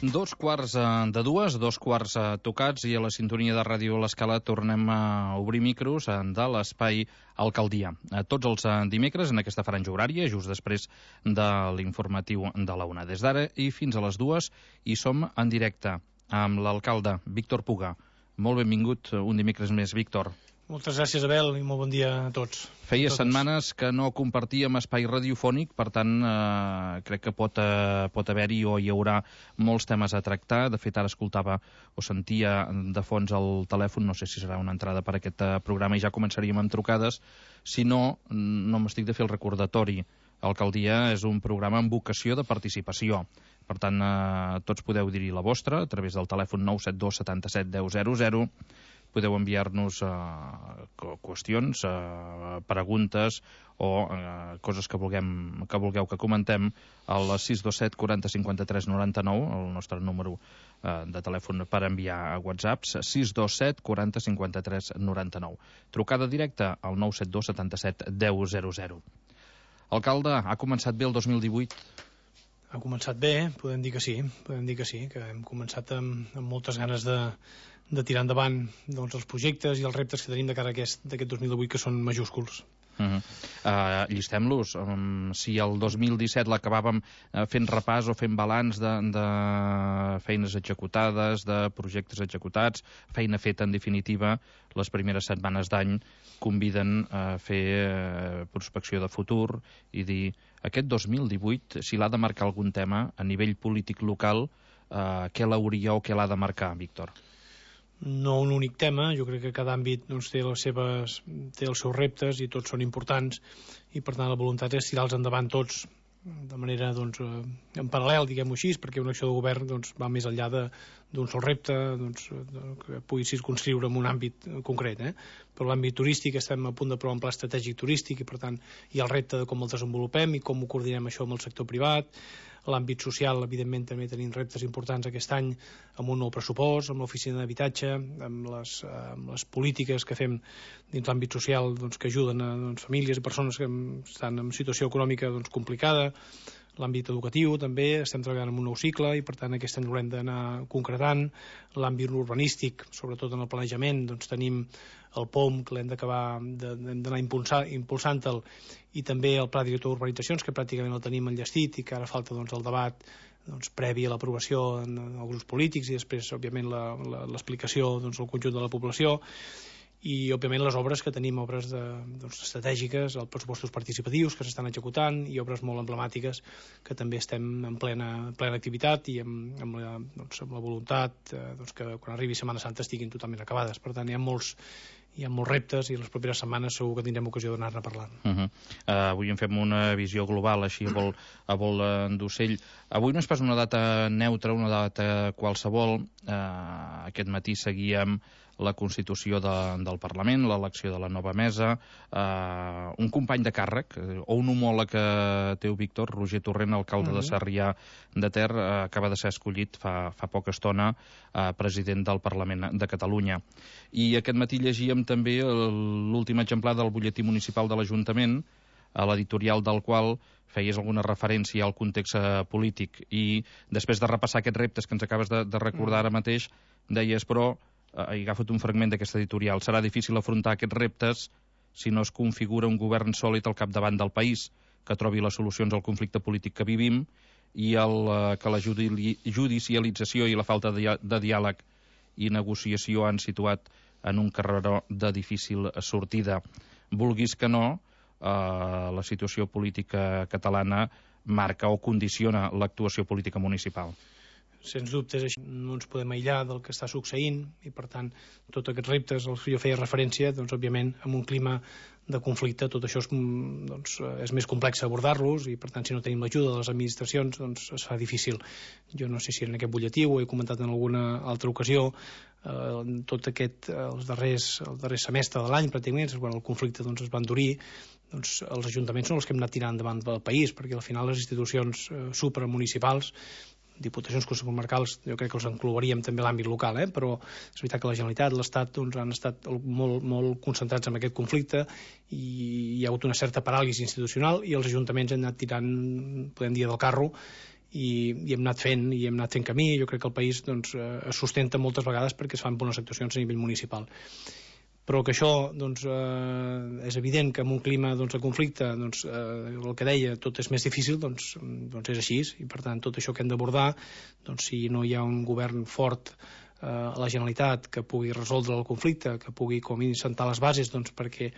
Dos quarts tocats, i a la sintonia de Ràdio L'Escala tornem a obrir micros de l'Espai Alcaldia. Tots els dimecres en aquesta franja horària, just després de l'informatiu de la 1. Des d'ara i fins a les 2 hi som en directe amb l'alcalde Víctor Puga. Molt benvingut un dimecres més, Víctor. Moltes gràcies, Abel, i molt bon dia a tots. Feia setmanes que no compartíem espai radiofònic, per tant, crec que pot haver-hi o hi haurà molts temes a tractar. De fet, ara escoltava o sentia de fons el telèfon, no sé si serà una entrada per aquest programa, i ja començaríem amb trucades. Si no, no m'estic de fer el recordatori. Alcaldia és un programa amb vocació de participació. Per tant, tots podeu dir-hi la vostra a través del telèfon 972 77 10 00. Podeu enviar-nos qüestions, preguntes o coses que vulgueu que comentem al 627 40 53 99, el nostre número de telèfon per enviar a WhatsApps, 627 40 53 99. Trucada directa al 972 77 10 00. Alcalde, ha començat bé el 2018? Ha començat bé, podem dir que sí, que hem començat amb moltes ganes de tirar endavant els projectes i els reptes que tenim de cara a d'aquest 2018, que són majúsculs. Llistem-los. Si el 2017 l'acabàvem fent repàs o fent balanç de feines executades, de projectes executats, feina feta en definitiva, les primeres setmanes d'any conviden a fer prospecció de futur i dir, aquest 2018, si l'ha de marcar algun tema a nivell polític local, què l'hauria o què l'ha de marcar, Víctor? No un únic tema, jo crec que cada àmbit té els seus reptes i tots són importants, i per tant la voluntat és tirar-los endavant tots de manera en paral·lel, diguem-ho així, perquè una acció de govern va més enllà d'un sol repte que pugui circunscriure en un àmbit concret. Per l'àmbit turístic estem a punt d'aprovar un pla estratègic turístic i per tant hi ha el repte de com el desenvolupem i com ho coordinem això amb el sector privat. L'àmbit social, evidentment, també tenim reptes importants aquest any amb un nou pressupost, amb l'oficina d'habitatge, amb les polítiques que fem dins l'àmbit social que ajuden a famílies i persones que estan en situació econòmica complicada. L'àmbit educatiu també, estem treballant en un nou cicle i per tant aquest any l'hem d'anar concretant. L'àmbit urbanístic, sobretot en el planejament, tenim el POM que l'hem d'anar impulsant-te'l, i també el Pla Director d'Urbanitzacions, que pràcticament el tenim enllestit i que ara falta el debat previ a l'aprovació en els grups polítics i després, òbviament, l'explicació al conjunt de la població. I, òbviament, les obres que tenim, obres estratègiques, els pressupostos participatius que s'estan executant i obres molt emblemàtiques que també estem en plena activitat i amb la voluntat que quan arribi Setmana Santa estiguin totalment acabades. Per tant, hi ha molts reptes i les properes setmanes segur que tindrem ocasió d'anar-ne parlant. Avui en fem una visió global, així a vol d'ocell. Avui no és pas una data neutra, una data qualsevol. Aquest matí seguíem la constitució del Parlament, l'elecció de la nova mesa, un company de càrrec, o un homòleg teu, Víctor, Roger Torrent, alcalde de Sarrià de Ter, acaba de ser escollit fa poca estona president del Parlament de Catalunya. I aquest matí llegíem també l'últim exemplar del butlletí municipal de l'Ajuntament, a l'editorial del qual feies alguna referència al context polític, i després de repassar aquests reptes que ens acabes de recordar ara mateix, deies, però he agafat un fragment d'aquesta editorial, serà difícil afrontar aquests reptes si no es configura un govern sòlid al capdavant del país, que trobi les solucions al conflicte polític que vivim i que la judicialització i la falta de diàleg i negociació han situat en un carreró de difícil sortida. Vulguis que no, la situació política catalana marca o condiciona l'actuació política municipal. Sens dubtes, no ens podem aïllar del que està succeint i, per tant, tots aquests reptes als que jo feia referència, òbviament, en un clima de conflicte, tot això és més complex abordar-los i, per tant, si no tenim l'ajuda de les administracions, es fa difícil. Jo no sé si en aquest butlletí ho he comentat en alguna altra ocasió, el darrer semestre de l'any, pràcticament, quan el conflicte es va endurir, els ajuntaments són els que hem anat tirant endavant del país, perquè al final les institucions supramunicipals, diputacions comarcals, jo crec que els englobaríem també l'àmbit local, però és veritat que la Generalitat, l'Estat han estat molt concentrats en aquest conflicte i hi ha hagut una certa paràlisi institucional i els ajuntaments han anat tirant, podem dir, del carro hem anat fent camí. Jo crec que el país doncs, es sustenta moltes vegades perquè es fan bones actuacions a nivell municipal, però que això doncs, és evident que en un clima doncs, de conflicte doncs, el que deia, tot és més difícil, doncs és així, i per tant tot això que hem d'abordar, doncs, si no hi ha un govern fort a la Generalitat que pugui resoldre el conflicte, que pugui com a mínim sentar les bases doncs, perquè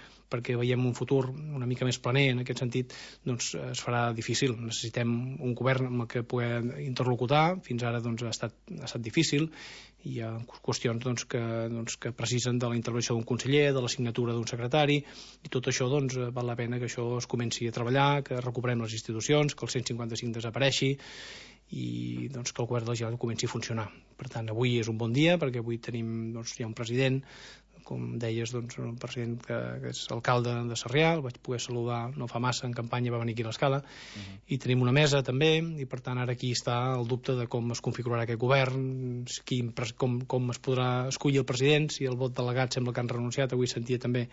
veiem un futur una mica més planer en aquest sentit, doncs es farà difícil. Necessitem un govern amb el que puguem interlocutar. Fins ara doncs, ha estat difícil. Hi ha qüestions doncs, que precisen de la intervenció d'un conseller, de la signatura d'un secretari, i tot això doncs, val la pena que això es comenci a treballar, que recuperem les institucions, que el 155 desapareixi, i doncs, que el govern de la Generalitat comenci a funcionar. Per tant, avui és un bon dia perquè avui tenim, doncs, hi ha un president, com deies, doncs, un president que és alcalde de Sarrià, el vaig poder saludar no fa massa, en campanya va venir aquí a l'Escala, i tenim una mesa també, i per tant ara aquí està el dubte de com es configurarà aquest govern, com es podrà escollir el president, si el vot delegat sembla que han renunciat. Avui sentia també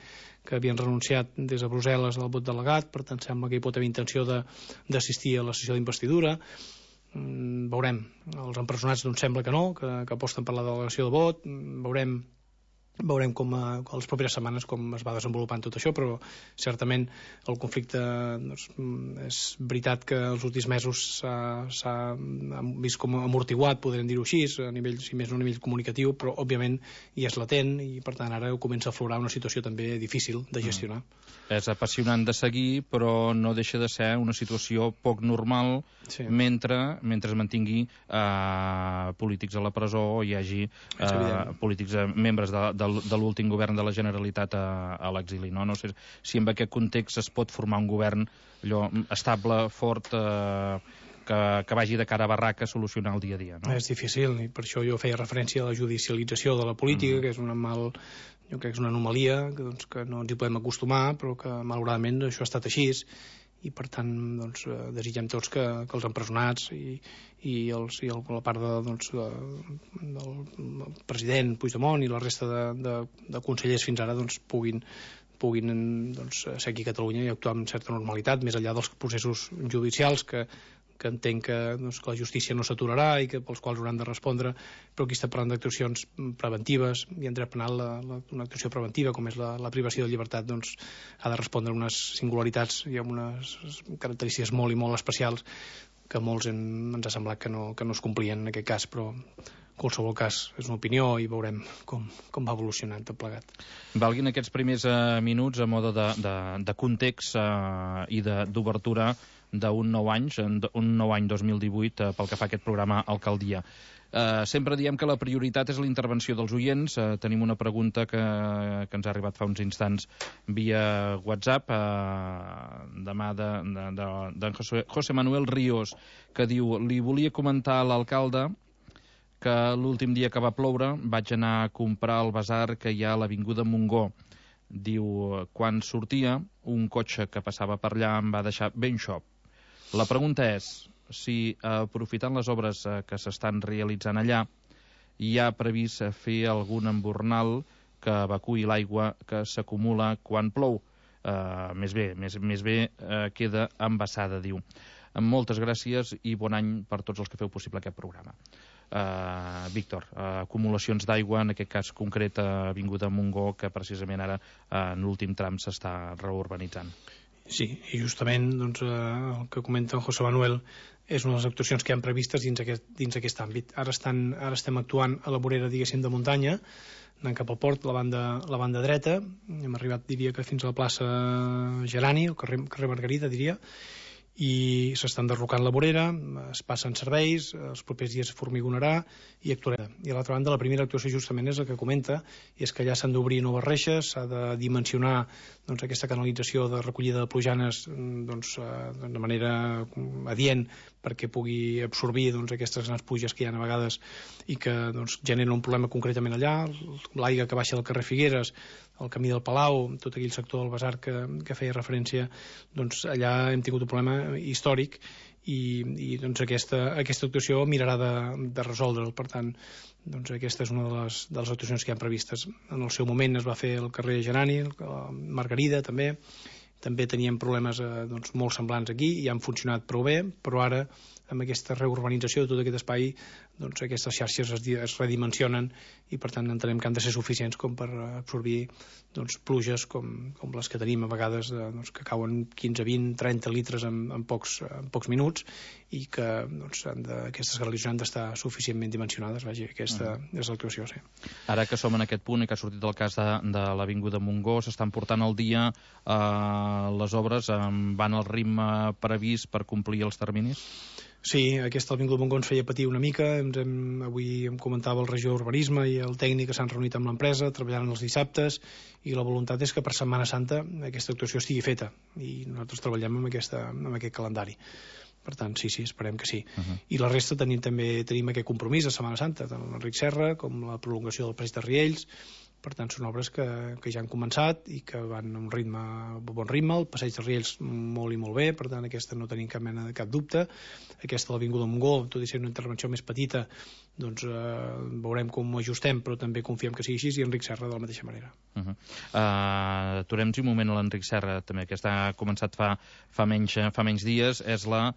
que havien renunciat des de Brussel·les al vot delegat, per tant sembla que hi pot haver intenció d'assistir a la sessió d'investidura. Veurem. Els empresonats doncs sembla que no, que aposten per la delegació de vot. Veurem com a les properes setmanes com es va desenvolupant tot això, però certament el conflicte doncs, és veritat que els últims mesos s'ha vist com amortiguat, podríem dir-ho així, a nivell, si més no a nivell comunicatiu, però òbviament hi és latent i per tant ara comença a aflorar una situació també difícil de gestionar. És apassionant de seguir, però no deixa de ser una situació poc normal, sí, mentre es mantingui polítics a la presó o hi hagi polítics membres de l'últim govern de la Generalitat a l'exili. No sé si en aquest context es pot formar un govern estable, fort, que vagi de cara a barraca a solucionar el dia a dia. No? És difícil, i per això jo feia referència a la judicialització de la política, que és jo crec que és una anomalia que no ens hi podem acostumar, però que malauradament això ha estat així, i per tant doncs, desitgem tots que els empresonats i la part del president Puigdemont i la resta de consellers fins ara doncs, puguin ser aquí a Catalunya i actuar amb certa normalitat, més enllà dels processos judicials que entenc que la justícia no s'aturarà i pels quals hauran de respondre, però aquí està parlant d'actuacions preventives, i en dret penal una actuació preventiva com és la privació de llibertat doncs, ha de respondre a unes singularitats i a unes característiques molt i molt especials que molts ens ha semblat que no es complien en aquest cas, però en qualsevol cas és una opinió i veurem com va evolucionant tot plegat. Valguin aquests primers minuts a mode de context i d'obertura d'un nou any 2018 pel que fa a aquest programa Alcaldia. Sempre diem que la prioritat és la intervenció dels oients. Tenim una pregunta que ens ha arribat fa uns instants via WhatsApp demà d'en José Manuel Ríos, que diu: li volia comentar a l'alcalde que l'últim dia que va ploure vaig anar a comprar al basar que hi ha a l'Avinguda Montgó. Diu, quan sortia, un cotxe que passava per allà em va deixar ben xop. La pregunta és si, aprofitant les obres que s'estan realitzant allà, hi ha previst fer algun embornal que evacuï l'aigua que s'acumula quan plou. Més bé queda embassada, diu. Moltes gràcies i bon any per tots els que feu possible aquest programa. Víctor, acumulacions d'aigua, en aquest cas concret a Avinguda Montgó, que precisament ara en l'últim tram s'està reurbanitzant. Sí, i justament doncs, el que comenta en José Manuel és una de les actuacions que hi ha previstes dins aquest àmbit. Ara estem actuant a la vorera, diguéssim, de muntanya, anant cap al port, la banda dreta. Hem arribat, diria que fins a la plaça Gerani, el carrer Margarida, diria, i s'estan derrocant la vorera, es passen serveis, els propers dies formigonarà i actuarà. I a l'altra banda, la primera actuació justament és el que comenta, i és que allà s'han d'obrir noves reixes, s'ha de dimensionar doncs, aquesta canalització de recollida de plujanes doncs, de manera adient perquè pugui absorbir doncs, aquestes grans pluges que hi ha a vegades i que doncs, generen un problema concretament allà, l'aigua que baixa del carrer Figueres, el camí del Palau, tot aquell sector del Besar que feia referència, doncs allà hem tingut un problema històric i doncs aquesta actuació mirarà de resoldre'l. Per tant, doncs aquesta és una de les actuacions que hi ha previstes. En el seu moment es va fer el carrer Gerani, Margarida també, també teníem problemes molt semblants aquí i han funcionat prou bé, però ara amb aquesta reurbanització de tot aquest espai aquestes xarxes es redimensionen i per tant entenem que han de ser suficients com per absorbir pluges com les que tenim a vegades que cauen 15, 20, 30 litres en pocs minuts i que aquestes canalitzacions han d'estar suficientment dimensionades. Aquesta és l'actuació, sí. Ara que som en aquest punt i que ha sortit el cas de l'Avinguda Montgó, s'estan portant al dia les obres, van al ritme previst per complir els terminis? Sí, aquesta Avinguda Montgó ens feia patir una mica. Avui em comentava el regidor d'Urbanisme i el tècnic que s'han reunit amb l'empresa, treballant els dissabtes, i la voluntat és que per Setmana Santa aquesta actuació estigui feta i nosaltres treballem amb aquest calendari. Per tant, sí, esperem que sí. I la resta també tenim aquest compromís de Setmana Santa, tant l'Enric Serra com la prolongació del Passeig de Riells. Per tant, són obres que ja han començat i que van a un bon ritme. El Passeig de Riells molt i molt bé, per tant, aquesta no tenim cap dubte. Aquesta de l'Avinguda Montgó, tot i ser una intervenció més petita, veurem com ho ajustem, però també confiem que sigui així, i Enric Serra de la mateixa manera. Aturem-nos un moment a l'Enric Serra, també, que ha començat fa menys dies. És la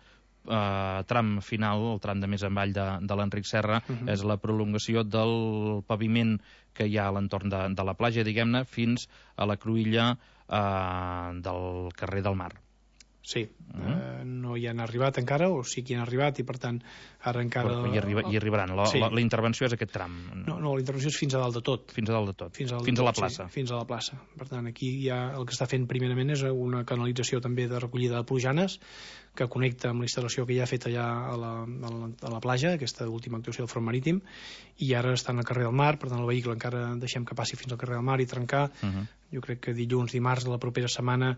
tram final, el tram de més avall de l'Enric Serra, és la prolongació del paviment que hi ha a l'entorn de la platja, diguem-ne, fins a la cruïlla del carrer del Mar. Sí, no hi han arribat encara, o sí que hi han arribat, i per tant ara encara... Hi arribaran. La intervenció és aquest tram. No, la intervenció és fins a dalt de tot. Fins a dalt de tot. Fins a la plaça. Sí, fins a la plaça. Per tant, aquí el que està fent primerament és una canalització també de recollida de plujanes que connecta amb la instal·lació que ja ha fet allà a la platja, aquesta última actuació del front marítim, i ara està al carrer del Mar. Per tant, el vehicle encara deixem que passi fins al carrer del Mar i trencar. Jo crec que dilluns, dimarts de la propera setmana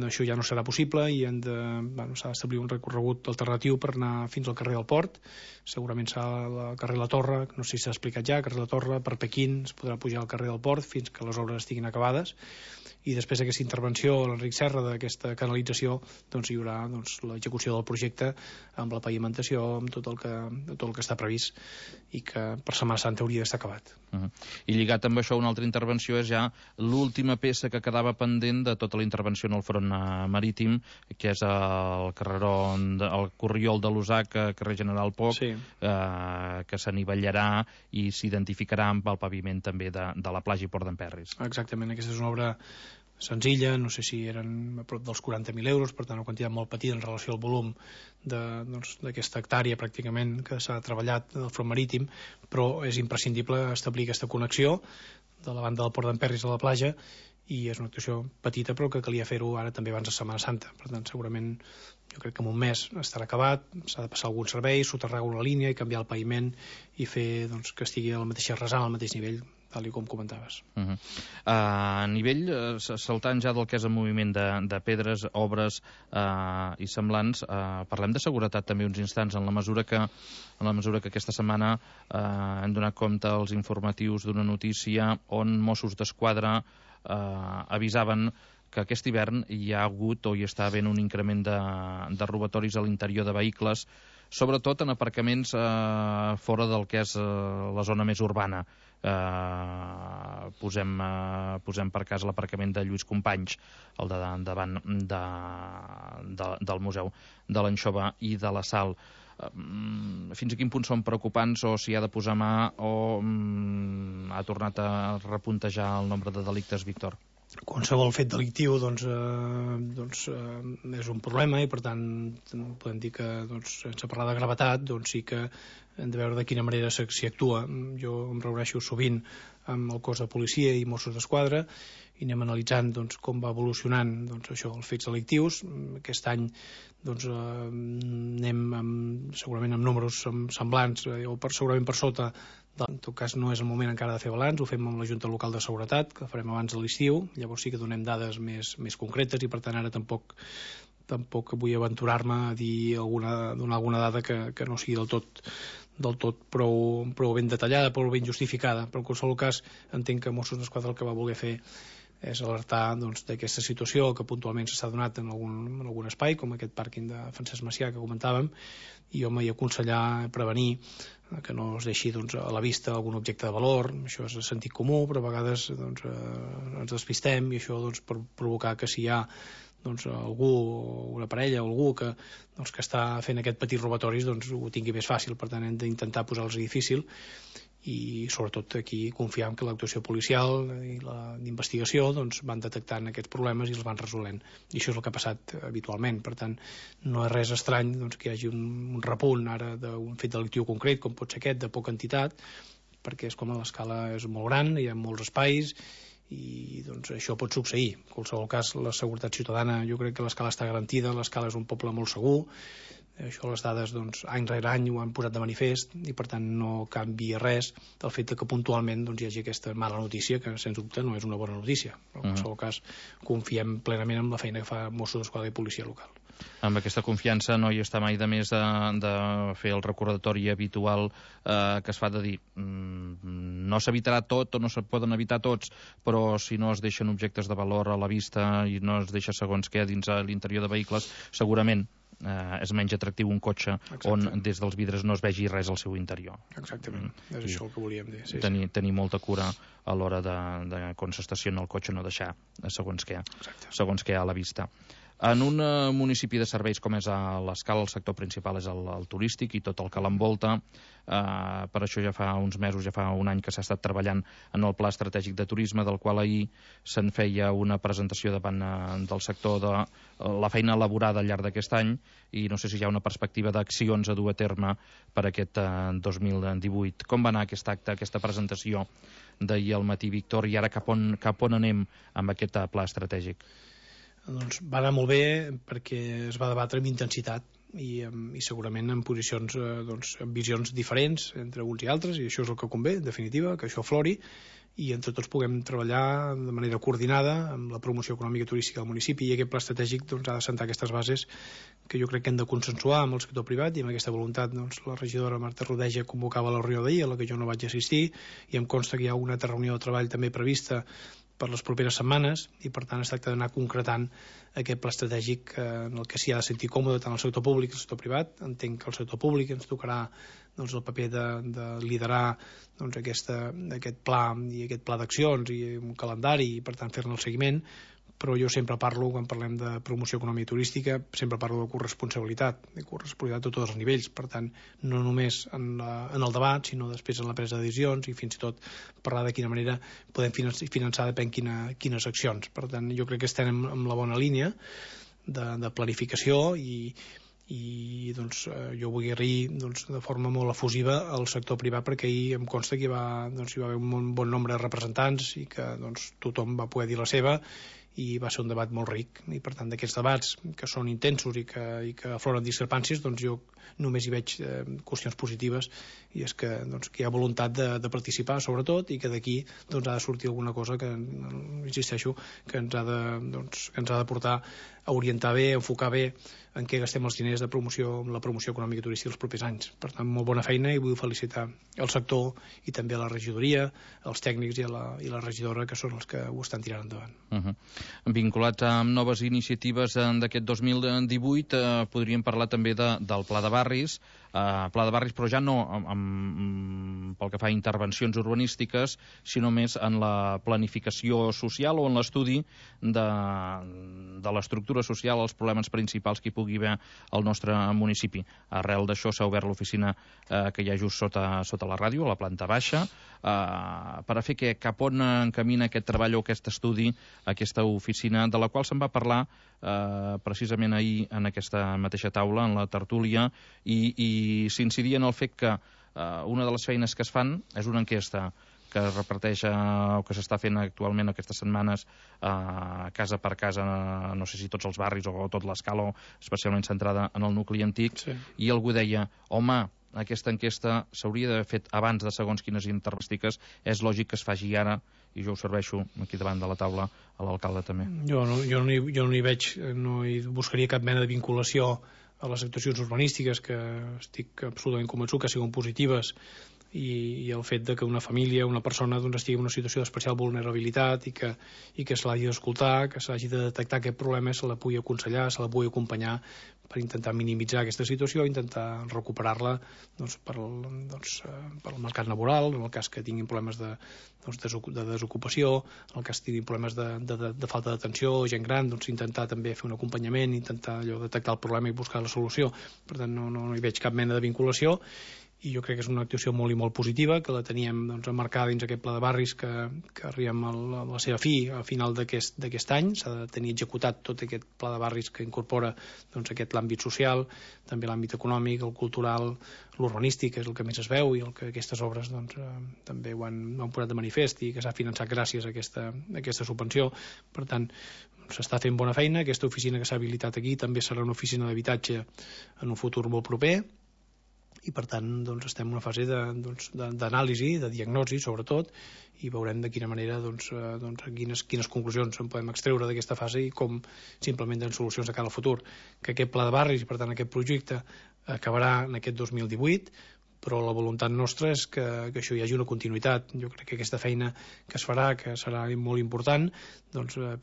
això ja no serà possible i s'ha d'establir un recorregut alternatiu per anar fins al carrer del Port. Segurament serà al carrer La Torre, no sé si s'ha explicat ja, carrer La Torre, per Pequín es podrà pujar al carrer del Port fins que les obres estiguin acabades, i després d'aquesta intervenció a l'Enric Serra d'aquesta canalització hi haurà l'execució del projecte amb la pavimentació, amb tot el que està previst i que per Setmana Santa hauria d'estar acabat. I lligat amb això, una altra intervenció és ja l'última peça que quedava pendent de tota la intervenció en el front marítim, que és el corriol de l'Usac, carrer General Poch, que s'anivellarà i s'identificarà amb el paviment també de la platja i Port d'Emperris. Exactament, aquesta és una obra senzilla, no sé si eren a prop dels 40.000 euros, per tant una quantitat molt petita en relació al volum d'aquesta hectàrea pràcticament que s'ha treballat del front marítim, però és imprescindible establir aquesta connexió de la banda del Port d'Emperris a la platja, i és una actuació petita però que calia fer-ho ara també abans de Setmana Santa. Per tant, segurament jo crec que en un mes estarà acabat, s'ha de passar algun servei, soterrar una línia i canviar el paviment i fer que estigui a la mateixa rasant, al mateix nivell, tal com comentaves. A nivell, saltant ja del que és el moviment de pedres, obres i semblants, parlem de seguretat també uns instants, en la mesura que aquesta setmana hem donat compte als informatius d'una notícia on Mossos d'Esquadra avisaven que aquest hivern hi ha hagut o hi està havent un increment de robatoris a l'interior de vehicles, sobretot en aparcaments fora del que és la zona més urbana. Posem per cas l'aparcament de Lluís Companys, el davant del Museu de l'Anxova i de la Sal. Fins a quin punt són preocupants, o si ha de posar mà, o ha tornat a repuntejar el nombre de delictes, Víctor? Qualsevol fet delictiu és un problema, i per tant podem dir que sense parlar de gravetat sí que hem de veure de quina manera s'hi actua. Jo em reuneixo sovint amb el cos de policia i Mossos d'Esquadra i anem analitzant com va evolucionant això, els fets delictius. Aquest any anem segurament amb números semblants o segurament per sota. En tot cas no és el moment encara de fer balanç, ho fem amb la Junta Local de Seguretat, que farem abans de l'estiu, llavors sí que donem dades més concretes, i per tant ara tampoc vull aventurar-me a donar alguna dada que no sigui del tot prou ben detallada, prou ben justificada, però en qualsevol cas entenc que Mossos d'Esquadra el que va voler fer és alertar d'aquesta situació que puntualment s'ha donat en algun espai, com aquest pàrquing de Francesc Macià que comentàvem, i aconsellar, prevenir que no es deixi a la vista algun objecte de valor. Això és de sentit comú, però a vegades ens despistem, i això pot provocar que si hi ha algú, una parella o algú que està fent aquest petit robatoris ho tingui més fàcil. Per tant, hem d'intentar posar-los difícil i sobretot aquí confiar en que l'actuació policial i d'investigació van detectant aquests problemes i els van resolent, i això és el que ha passat habitualment. Per tant, no és res estrany que hi hagi un repunt ara d'un fet delictiu concret com pot ser aquest, de poca entitat, perquè és com l'escala és molt gran, hi ha molts espais i això pot succeir. En qualsevol cas, la seguretat ciutadana, jo crec que l'escala està garantida, l'escala és un poble molt segur. Això les dades any rere any ho han posat de manifest i per tant no canvia res del fet que puntualment hi hagi aquesta mala notícia, que sens dubte no és una bona notícia, però en qualsevol cas confiem plenament en la feina que fa Mossos d'Esquadra i policia local. Amb aquesta confiança no hi està mai de més de fer el recordatori habitual que es fa de dir no s'evitarà tot o no se poden evitar tots, però si no es deixen objectes de valor a la vista i no es deixa segons què dins l'interior de vehicles, segurament és menys atractiu un cotxe on des dels vidres no es vegi res al seu interior. Exactament, és això el que volíem dir. Tenir molta cura a l'hora de quan s'estaciona el cotxe no deixar segons què a la vista. En un municipi de serveis com és a l'Escala, el sector principal és el turístic i tot el que l'envolta. Per això ja fa uns mesos, ja fa un any que s'ha estat treballant en el Pla Estratègic de Turisme, del qual ahir se'n feia una presentació davant del sector de la feina elaborada al llarg d'aquest any, i no sé si hi ha una perspectiva d'accions a dur a terme per aquest 2018. Com va anar aquest acte, aquesta presentació d'ahir al matí, Víctor, i ara cap on anem amb aquest pla estratègic? Va anar molt bé perquè es va debatre amb intensitat i segurament en posicions, amb visions diferents entre uns i altres, i això és el que convé, en definitiva, que això aflori i entre tots puguem treballar de manera coordinada amb la promoció econòmica i turística del municipi, i aquest pla estratègic ha de sentar aquestes bases que jo crec que hem de consensuar amb el sector privat, i amb aquesta voluntat la regidora Marta Rodeja convocava la reunió d'ahir, a la que jo no vaig assistir, i em consta que hi ha una altra reunió de treball també prevista per les properes setmanes, i per tant es tracta d'anar concretant aquest pla estratègic en el que s'hi ha de sentir còmode tant el sector públic com el sector privat. Entenc que el sector públic ens tocarà el paper de liderar aquest pla i aquest pla d'accions i un calendari, i per tant fer-ne el seguiment, però jo sempre parlo, quan parlem de promoció econòmica i turística, sempre parlo de corresponsabilitat a tots els nivells. Per tant, no només en el debat, sinó després en la presa de decisions, i fins i tot parlar de quina manera podem finançar depèn quines accions. Per tant, jo crec que estem en la bona línia de planificació, i jo vull agrair de forma molt efusiva al sector privat, perquè ahir em consta que hi va haver un bon nombre de representants i que tothom va poder dir la seva, i va ser un debat molt ric. I per tant, d'aquests debats que són intensos i que afloren discrepàncies, jo només hi veig qüestions positives, i és que hi ha voluntat de participar, sobretot, i que d'aquí ha de sortir alguna cosa que, insisteixo, que ens ha de portar a orientar bé, a enfocar bé en què gastem els diners de promoció, la promoció econòmica i turística els propers anys. Per tant, molt bona feina, i vull felicitar el sector i també a la regidoria, els tècnics i la regidora, que són els que ho estan tirant endavant. Vinculats amb noves iniciatives d'aquest 2018, podríem parlar també del Pla de Barris, però ja no pel que fa a intervencions urbanístiques, sinó més en la planificació social o en l'estudi de l'estructura social, els problemes principals que hi pugui haver al nostre municipi. Arrel d'això s'ha obert l'oficina que hi ha just sota la ràdio, a la planta baixa, per a fer cap on encamina aquest treball o aquest estudi, aquesta oficina, de la qual se'n va parlar precisament ahir en aquesta mateixa taula, en la tertúlia, i s'incidia en el fet que una de les feines que es fan és una enquesta que es reparteix o que s'està fent actualment aquestes setmanes casa per casa, no sé si tots els barris o tot l'Escala, especialment centrada en el nucli antic, sí. I algú deia, home, aquesta enquesta s'hauria d'haver fet abans de segons quines intervencions, és lògic que es faci ara, i jo ho serveixo aquí davant de la taula a l'alcalde també. Jo no hi veig, no hi buscaria cap mena de vinculació a les actuacions urbanístiques, que estic absolutament convençut que siguin positives, i el fet de que una família, una persona estigui en una situació d'especial vulnerabilitat i que se l'hagi d'escoltar, que se l'hagi de detectar aquest problema, se la pugui aconsellar, se la pugui acompanyar intentar minimitzar aquesta situació, intentar recuperar-la pel mercat laboral, en el cas que tinguin problemes de desocupació, en el cas que tinguin problemes de falta d'atenció, gent gran, intentar també fer un acompanyament, intentar detectar el problema i buscar la solució. Per tant, no hi veig cap mena de vinculació, i jo crec que és una actuació molt i molt positiva, que la teníem emmarcada dins aquest pla de barris que arribem a la seva fi a final d'aquest any. S'ha de tenir executat tot aquest pla de barris que incorpora l'àmbit social, també l'àmbit econòmic, el cultural, l'urbanístic, que és el que més es veu i el que aquestes obres també ho han posat de manifest i que s'ha finançat gràcies a aquesta subvenció. Per tant, s'està fent bona feina. Aquesta oficina que s'ha habilitat aquí també serà una oficina d'habitatge en un futur molt proper, i per tant estem en una fase d'anàlisi, de diagnosi sobretot, i veurem de quina manera quines conclusions en podem extreure d'aquesta fase i com s'implementen solucions de cara al futur. Que aquest pla de barris, i per tant aquest projecte, acabarà en aquest 2018, però la voluntat nostra és que això hi hagi una continuïtat. Jo crec que aquesta feina que es farà, que serà molt important,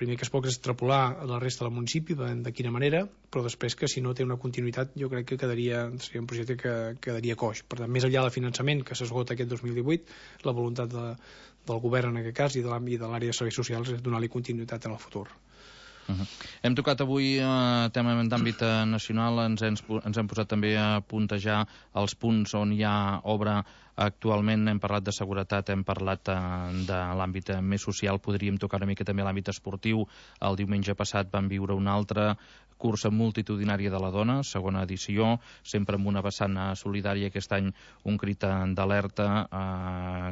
primer que es pot extrapolar a la resta del municipi, de quina manera, però després que si no té una continuïtat jo crec que seria un projecte que quedaria coix. Per tant, més enllà del finançament que s'esgota aquest 2018, la voluntat del govern en aquest cas i de l'àrea de serveis socials és donar-li continuïtat en el futur. Hem tocat avui tema d'àmbit nacional, ens hem posat també a puntejar els punts on hi ha obra actualment. Hem parlat de seguretat, hem parlat de l'àmbit més social, podríem tocar una mica també l'àmbit esportiu. El diumenge passat vam viure una altra cursa multitudinària de la dona, segona edició, sempre amb una vessant solidària, aquest any un crit d'alerta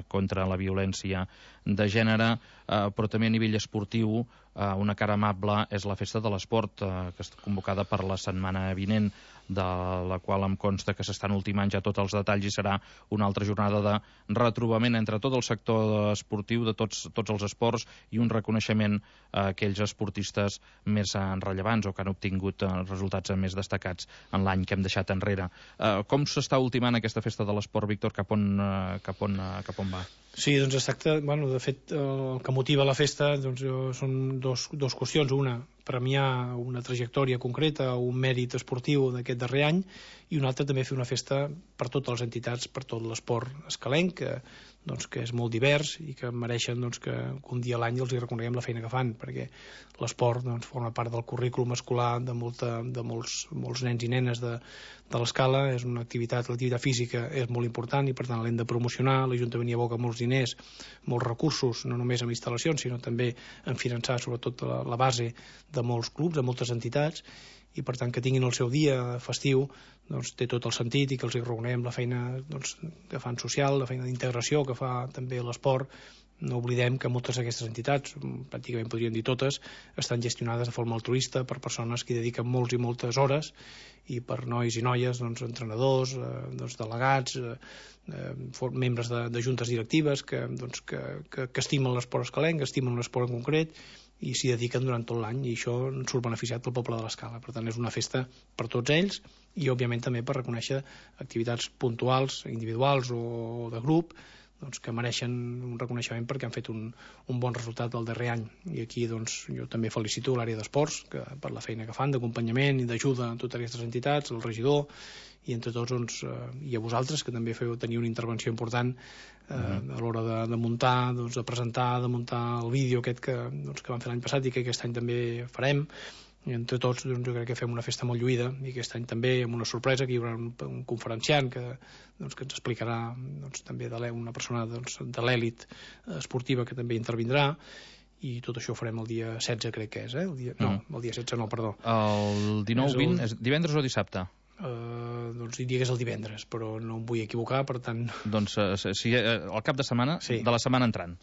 contra la violència de gènere, però també a nivell esportiu una cara amable és la Festa de l'Esport, que està convocada per la setmana vinent, de la qual em consta que s'estan ultimant ja tots els detalls i serà una altra jornada de retrobament entre tot el sector esportiu de tots els esports i un reconeixement a aquells esportistes més rellevants o que han obtingut resultats més destacats en l'any que hem deixat enrere. Com s'està ultimant aquesta Festa de l'Esport, Víctor? Cap on va? Sí, doncs exacte. De fet, el que motiva la festa són dos qüestions. Una, premiar una trajectòria concreta o un mèrit esportiu d'aquest darrer any, i una altra també fer una festa per totes les entitats, per tot l'esport escalenc, que és molt divers i que mereixen que un dia a l'any els hi reconeguem la feina que fan, perquè l'esport forma part del currículum escolar de molts nens i nenes de l'escala. És una l'activitat física és molt important i per tant l'hem de promocionar. L'Ajuntament hi aboca molts diners, molts recursos, no només en instal·lacions sinó també en finançar sobretot la base de molts clubs, de moltes entitats, i per tant que tinguin el seu dia festiu té tot el sentit, i que els hi reconeguem la feina que fan social, la feina d'integració que fa també l'esport. No oblidem que moltes d'aquestes entitats, pràcticament podríem dir totes, estan gestionades de forma altruista per persones que hi dediquen molts i moltes hores, i per nois i noies, entrenadors, delegats, membres de juntes directives que estimen l'esport escalenc, que estimen l'esport en concret i s'hi dediquen durant tot l'any, i això en surt beneficiat pel poble de l'Escala. Per tant, és una festa per tots ells, i òbviament també per reconèixer activitats puntuals, individuals o de grup, que mereixen un reconeixement perquè han fet un bon resultat el darrer any. I aquí jo també felicito l'àrea d'esports per la feina que fan d'acompanyament i d'ajuda a totes aquestes entitats, el regidor, i entre tots i a vosaltres, que també feu tenir una intervenció important a l'hora de muntar, de presentar, de muntar el vídeo aquest que vam fer l'any passat i que aquest any també farem. I entre tots jo crec que fem una festa molt lluïda, i aquest any també amb una sorpresa, que hi haurà un conferenciant que ens explicarà també una persona de l'èlit esportiva que també intervindrà, i tot això ho farem el dia 16, crec que és, el dia 16 no, perdó. El 19-20 és divendres o dissabte? Diria que és el divendres, però no em vull equivocar, per tant... Doncs el cap de setmana de la setmana entrant.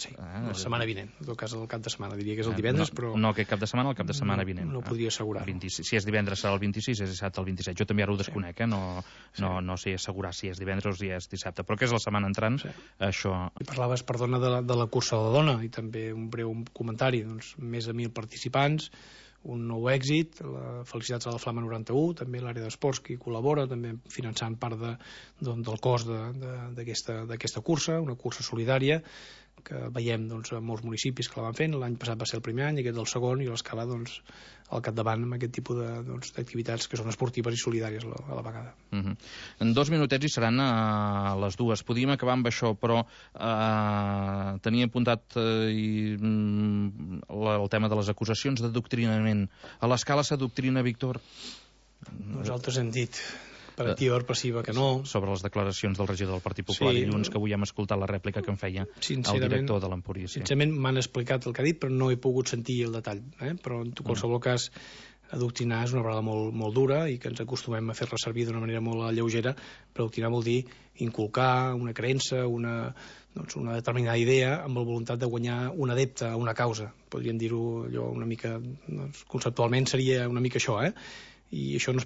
Sí, la setmana vinent. En tot cas, el cap de setmana diria que és el divendres, però... No aquest cap de setmana, el cap de setmana vinent. No podria assegurar. Si és divendres serà el 26, és dissabte el 27. Jo també ara ho desconec, no sé assegurar si és divendres o si és dissabte, però que és la setmana entrant, això... I parlaves, perdona, de la cursa de la dona, i també un breu comentari. Més de 1.000 participants, un nou èxit, felicitats a la Flama 91, també l'àrea d'esports que hi col·labora, també finançant part del cost d'aquesta cursa, una cursa solidària que veiem doncs, en molts municipis que la van fent. L'any passat va ser el primer any, aquest el segon, i l'Escala doncs, al capdavant amb aquest tipus d'activitats que són esportives i solidàries a la vegada. En 2 minutets hi seran a les 2. Podíem acabar amb això, però tenia apuntat el tema de les acusacions d'adoctrinament. A l'Escala s'adoctrina, Víctor? Nosaltres hem dit per activa o per passiva que no. Sobre les declaracions del regidor del Partit Popular dilluns, que avui hem escoltat la rèplica que en feia el director de l'Empúria. Sincerament m'han explicat el que ha dit, però no he pogut sentir el detall. Però en qualsevol cas, adoctrinar és una paraula molt dura i que ens acostumem a fer-la servir d'una manera molt lleugera, però adoctrinar vol dir inculcar una creença, una determinada idea amb la voluntat de guanyar un adepte a una causa. Podríem dir-ho allò una mica, conceptualment seria una mica això, i això s'ha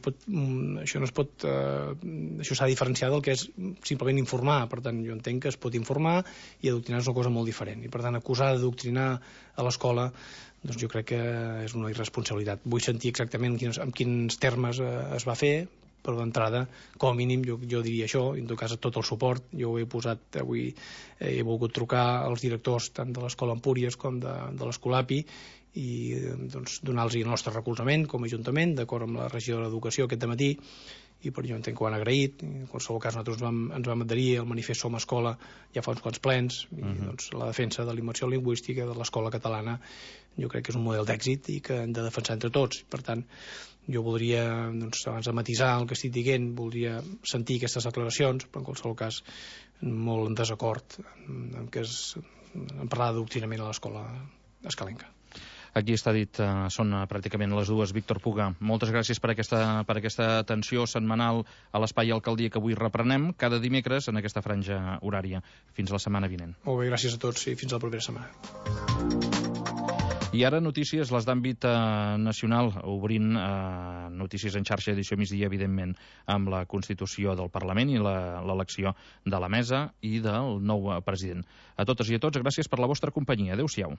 de diferenciar del que és simplement informar. Per tant, jo entenc que es pot informar i adoctrinar és una cosa molt diferent, i per tant acusar d'adoctrinar a l'escola doncs jo crec que és una irresponsabilitat. Vull sentir exactament en quins termes es va fer, però d'entrada, com a mínim, jo diria això, i en tot cas tot el suport. Jo ho he posat avui, he volgut trucar als directors tant de l'Escola Empúries com de l'Escolapi i doncs, donar-los el nostre recolzament com a Ajuntament, d'acord amb la regidora d'Educació aquest dematí, i per jo entenc que ho han agraït. En qualsevol cas, nosaltres ens vam adherir al manifest Som Escola ja fa uns quants plens, i doncs, la defensa de la immersió lingüística de l'escola catalana jo crec que és un model d'èxit i que hem de defensar entre tots. Per tant, jo voldria, doncs, abans de matisar el que estic dient, voldria sentir aquestes declaracions, però en qualsevol cas molt en desacord en parlar d'adoctrinament a l'escola escalenca. Aquí està dit, són pràcticament les 2. Víctor Puga, moltes gràcies per aquesta atenció setmanal a l'Espai Alcaldia que avui reprenem cada dimecres en aquesta franja horària. Fins la setmana vinent. Molt bé, gràcies a tots i fins a la propera setmana. I ara notícies, les d'àmbit nacional, obrint notícies en xarxa edició migdia, evidentment, amb la Constitució del Parlament i l'elecció de la mesa i del nou president. A totes i a tots, gràcies per la vostra companyia. Adéu-siau.